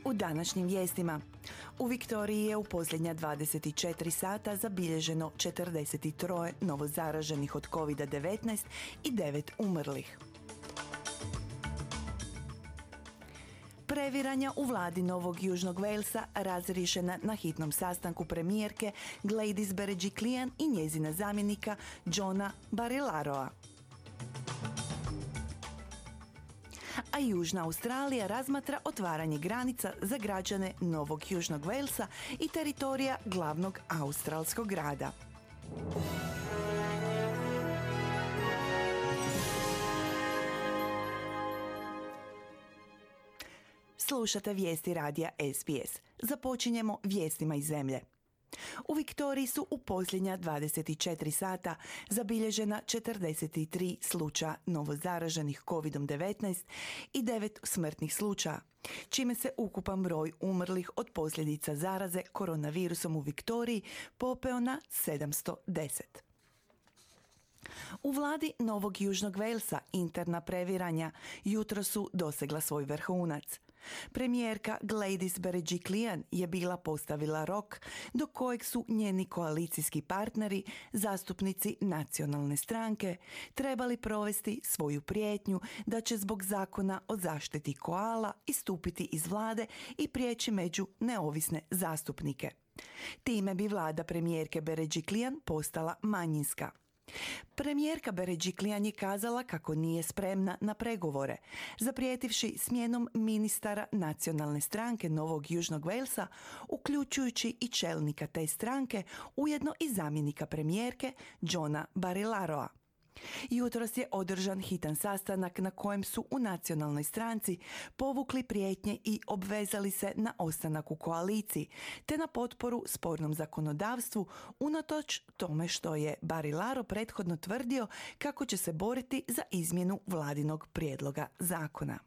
U današnjim vijestima. U Viktoriji je u posljednja 24 sata zabilježeno 43 novozaraženih od COVID-19 i 9 umrlih. Previranja u vladi Novog Južnog Walesa razriješena na hitnom sastanku premijerke Gladys Berejiklian i njezina zamjenika Johna Barilaroa. A Južna Australija razmatra otvaranje granica za građane Novog Južnog Walesa i teritorija glavnog australskog grada. Slušate vijesti radija SBS. Započinjemo vijestima iz zemlje. U Viktoriji su u posljednja 24 sata zabilježena 43 slučaja novozaraženih COVID-19 i 9 smrtnih slučaja, čime se ukupan broj umrlih od posljedica zaraze koronavirusom u Viktoriji popeo na 710. U vladi Novog Južnog Walesa interna previranja jutro su dosegla svoj vrhunac. Premijerka Gladys Berejiklian je bila postavila rok do kojeg su njeni koalicijski partneri, zastupnici nacionalne stranke, trebali provesti svoju prijetnju da će zbog zakona o zaštiti koala istupiti iz vlade i prijeći među neovisne zastupnike. Time bi vlada premijerke Berejiklian postala manjinska. Premijerka Berejiklian je kazala kako nije spremna na pregovore, zaprijetivši smjenom ministara nacionalne stranke Novog Južnog Walesa, uključujući i čelnika te stranke, ujedno i zamjenika premijerke Johna Barilaroa. Jutros je održan hitan sastanak na kojem su u nacionalnoj stranci povukli prijetnje i obvezali se na ostanak u koaliciji, te na potporu spornom zakonodavstvu, unatoč tome što je Barilaro prethodno tvrdio kako će se boriti za izmjenu vladinog prijedloga zakona.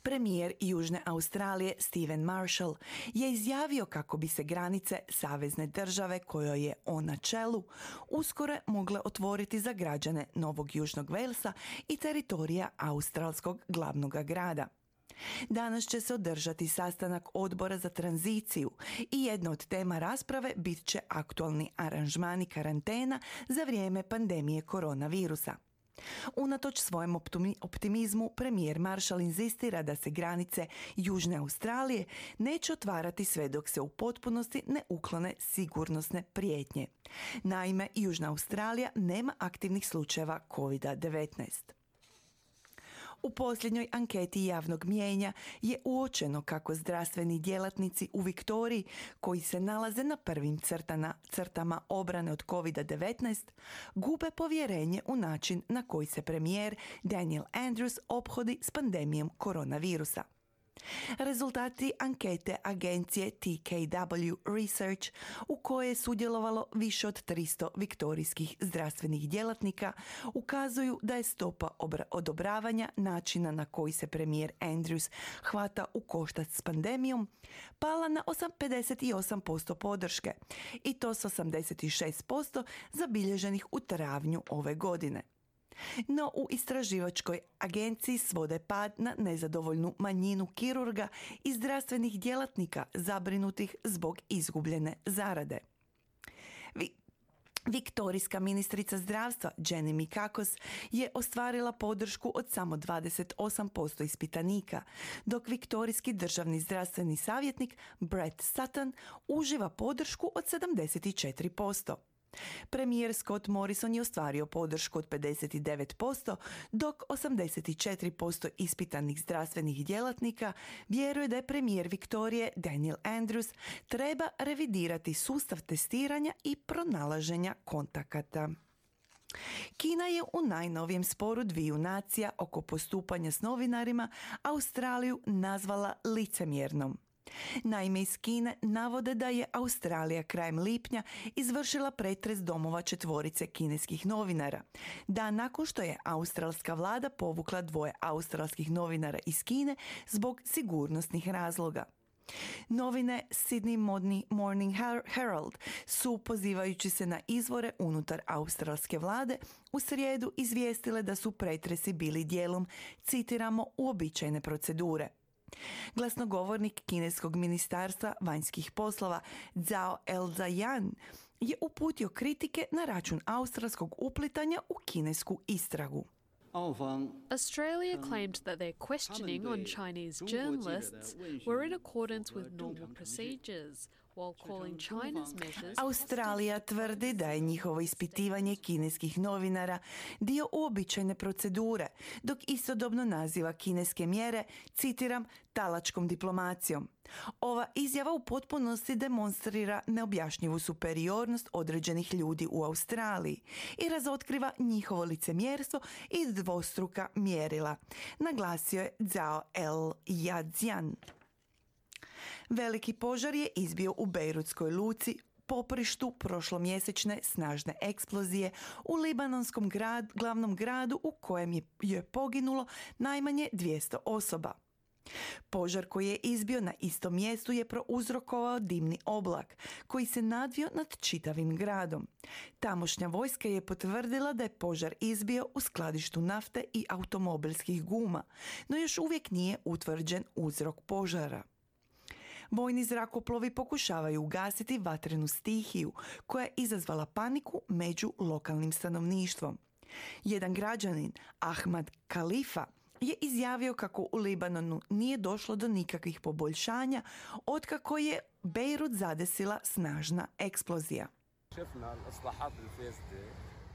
Premijer Južne Australije Stephen Marshall je izjavio kako bi se granice savezne države kojoj je on na čelu uskoro mogle otvoriti za građane Novog Južnog Walesa i teritorija australskog glavnog grada. Danas će se održati sastanak odbora za tranziciju i jedna od tema rasprave bit će aktualni aranžmani karantena za vrijeme pandemije koronavirusa. Unatoč svojem optimizmu, premijer Marshall inzistira da se granice Južne Australije neće otvarati sve dok se u potpunosti ne uklone sigurnosne prijetnje. Naime, Južna Australija nema aktivnih slučajeva COVID-19. U posljednjoj anketi javnog mijenja je uočeno kako zdravstveni djelatnici u Viktoriji, koji se nalaze na prvim crtama obrane od COVID-19, gube povjerenje u način na koji se premijer Daniel Andrews ophodi s pandemijom koronavirusa. Rezultati ankete agencije TKW Research, u kojoj je sudjelovalo više od 300 viktorijskih zdravstvenih djelatnika, ukazuju da je stopa odobravanja načina na koji se premijer Andrews hvata u koštac s pandemijom pala na 58% podrške, i to s 86% zabilježenih u travnju ove godine. No u istraživačkoj agenciji svode pad na nezadovoljnu manjinu kirurga i zdravstvenih djelatnika zabrinutih zbog izgubljene zarade. Viktorijska ministrica zdravstva Jenny Mikakos je ostvarila podršku od samo 28% ispitanika, dok viktorijski državni zdravstveni savjetnik Brett Sutton uživa podršku od 74%. Premijer Scott Morrison je ostvario podršku od 59%, dok 84% ispitanih zdravstvenih djelatnika vjeruje da je premijer Viktorije Daniel Andrews treba revidirati sustav testiranja i pronalaženja kontakata. Kina je u najnovijem sporu dviju nacija oko postupanja s novinarima Australiju nazvala licemjernom. Naime, iz Kine navode da je Australija krajem lipnja izvršila pretres domova 4 kineskih novinara, dan nakon što je australska vlada povukla 2 australskih novinara iz Kine zbog sigurnosnih razloga. Novine Sydney Morning Herald su, pozivajući se na izvore unutar australske vlade, u srijedu izvijestile da su pretresi bili dijelom, citiramo, uobičajene procedure. Glasnogovornik kineskog ministarstva vanjskih poslova Zhao Elzayan je uputio kritike na račun australskog uplitanja u kinesku istragu. Australia claimed that their questioning on Chinese journalists were in accordance with normal procedures, while calling China's measures... Australija tvrdi da je njihovo ispitivanje kineskih novinara dio uobičajene procedure, dok istodobno naziva kineske mjere, citiram, talačkom diplomacijom. Ova izjava u potpunosti demonstrira neobjašnjivu superiornost određenih ljudi u Australiji i razotkriva njihovo licemjerstvo i dvostruka mjerila, naglasio je Zhao El-Yazian. Veliki požar je izbio u Bejrutskoj luci, poprištu prošlomjesečne snažne eksplozije u libanonskom glavnom gradu u kojem je poginulo najmanje 200 osoba. Požar koji je izbio na istom mjestu je prouzrokovao dimni oblak koji se nadvio nad čitavim gradom. Tamošnja vojska je potvrdila da je požar izbio u skladištu nafte i automobilskih guma, no još uvijek nije utvrđen uzrok požara. Vojni zrakoplovi pokušavaju ugasiti vatrenu stihiju koja je izazvala paniku među lokalnim stanovništvom. Jedan građanin, Ahmad Khalifa, je izjavio kako u Libanonu nije došlo do nikakvih poboljšanja otkako je Bejrut zadesila snažna eksplozija.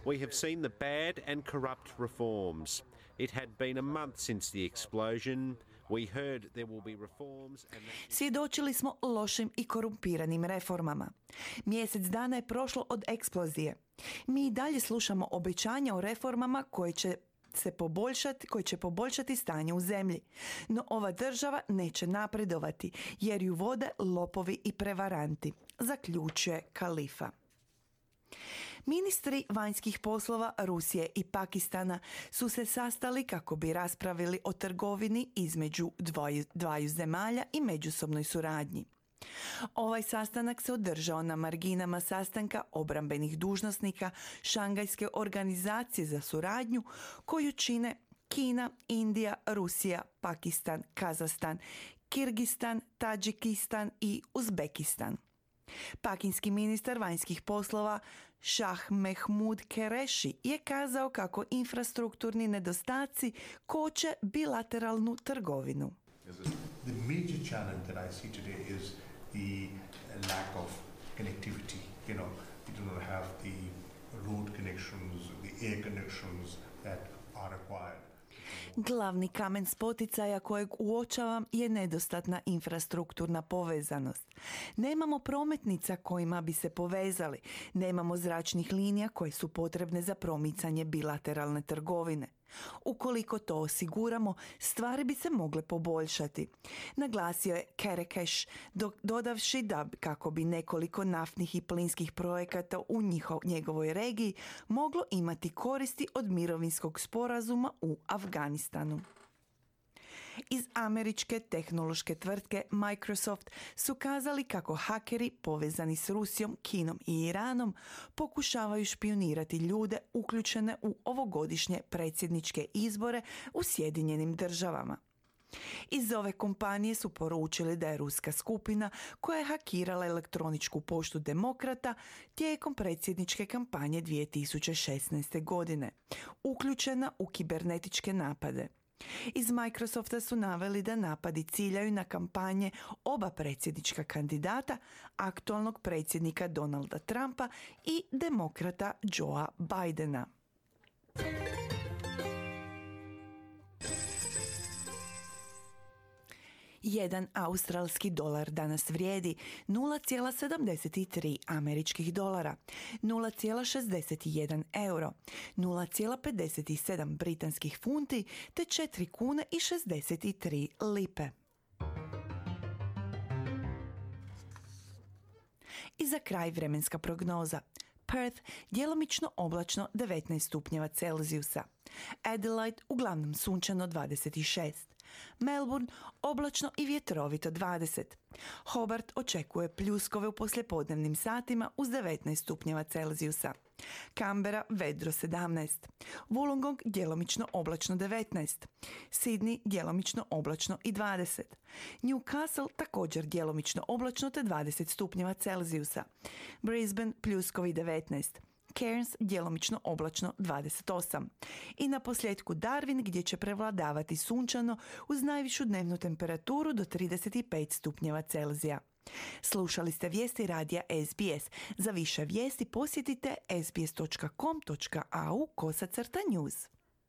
We have seen the bad and corrupt reforms. It had been a month since the explosion. We heard there will be reforms and... Svjedočili smo lošim i korumpiranim reformama. Mjesec dana je prošlo od eksplozije. Mi i dalje slušamo obećanja o reformama koje će poboljšati stanje u zemlji. No ova država neće napredovati jer ju vode lopovi i prevaranti, zaključuje Khalifa. Ministri vanjskih poslova Rusije i Pakistana su se sastali kako bi raspravili o trgovini između dvaju zemalja i međusobnoj suradnji. Ovaj sastanak se održao na marginama sastanka obrambenih dužnosnika Šangajske organizacije za suradnju koju čine Kina, Indija, Rusija, Pakistan, Kazahstan, Kirgistan, Tadžikistan i Uzbekistan. Pakinski ministar vanjskih poslova Shah Mehmood Qureshi je kazao kako infrastrukturni nedostaci koče bilateralnu trgovinu. The major challenge that I see today is the lack of connectivity. You do not have the road connections, the air connections that are required. Glavni kamen spoticaja kojeg uočavam je nedostatna infrastrukturna povezanost. Nemamo prometnica kojima bi se povezali, nemamo zračnih linija koje su potrebne za promicanje bilateralne trgovine. Ukoliko to osiguramo, stvari bi se mogle poboljšati. Naglasio je Kerekeš, dodavši da kako bi nekoliko naftnih i plinskih projekata u njegovoj regiji moglo imati koristi od mirovinskog sporazuma u Afganistanu. Iz američke tehnološke tvrtke Microsoft su kazali kako hakeri povezani s Rusijom, Kinom i Iranom pokušavaju špionirati ljude uključene u ovogodišnje predsjedničke izbore u Sjedinjenim Državama. Iz ove kompanije su poručili da je ruska skupina koja je hakirala elektroničku poštu demokrata tijekom predsjedničke kampanje 2016. godine, uključena u kibernetičke napade. Iz Microsofta su naveli da napadi ciljaju na kampanje oba predsjednička kandidata, aktualnog predsjednika Donalda Trumpa i demokrata Joea Bidena. Jedan australski dolar danas vrijedi 0,73 američkih dolara, 0,61 euro, 0,57 britanskih funti te 4 kune i 63 lipe. I za kraj vremenska prognoza. Perth djelomično oblačno 19 stupnjeva Celzijusa. Adelaide uglavnom sunčano 26. Melbourne oblačno i vjetrovito 20. Hobart očekuje pljuskove u poslijepodnevnim satima uz 19 stupnjeva Celzijusa. Canberra vedro 17. Wollongong djelomično oblačno 19. Sydney djelomično oblačno i 20. Newcastle također djelomično oblačno te 20 stupnjeva Celzijusa. Brisbane pljuskovi 19. Cairns djelomično oblačno 28. I na posljedku Darwin gdje će prevladavati sunčano uz najvišu dnevnu temperaturu do 35 stupnjeva Celzija. Slušali ste vijesti radija SBS. Za više vijesti posjetite sbs.com.au/news.